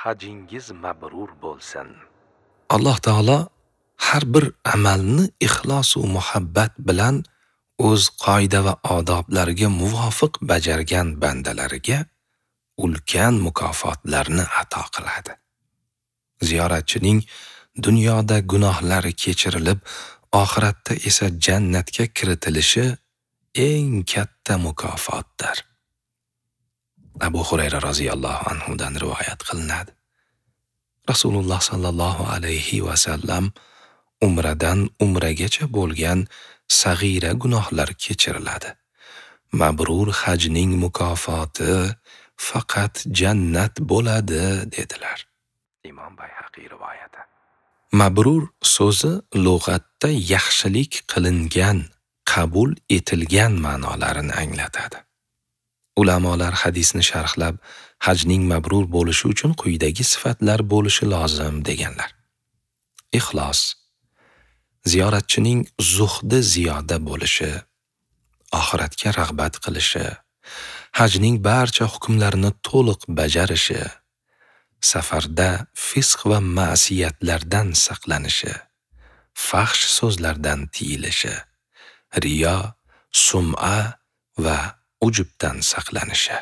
Hajingiz mabrur bo'lsin. Alloh taolo har bir amalni ixlos va muhabbat bilan o'z qoida va odoblariga muvofiq bajargan bandalariga ulkan mukofotlarni ato qiladi. Ziyoratchining dunyoda gunohlari kechirilib, oxiratda esa jannatga kiritilishi eng katta mukofotdir. Abu Hurayra roziyallohu anhu dan rivoyat qilinadi. Rasululloh sallallohu alayhi va sallam umradan umragacha bo'lgan sag'ira gunohlar kechiriladi. Mabrur hajning mukofoti faqat jannat bo'ladi, dedilar. Imom Bayhaqiy rivoyati. Mabrur so'zi lug'atda yaxshilik qilingan, qabul etilgan ma'nolarini anglatadi. Ulamolar hadisni sharhlab, hajning mabrur bo'lishi uchun quyidagi sifatlar bo'lishi lozim deganlar. Ixlos, ziyoratchining zuhdi ziyoda bo'lishi, oxiratga rag'bat qilishi, hajning barcha hukmlarini to'liq bajarishi, safarda fisq va ma'siyatlardan saqlanishi, fahsh so'zlardan tiyilishi, riyo, sum'a va ujubdan saqlanishi.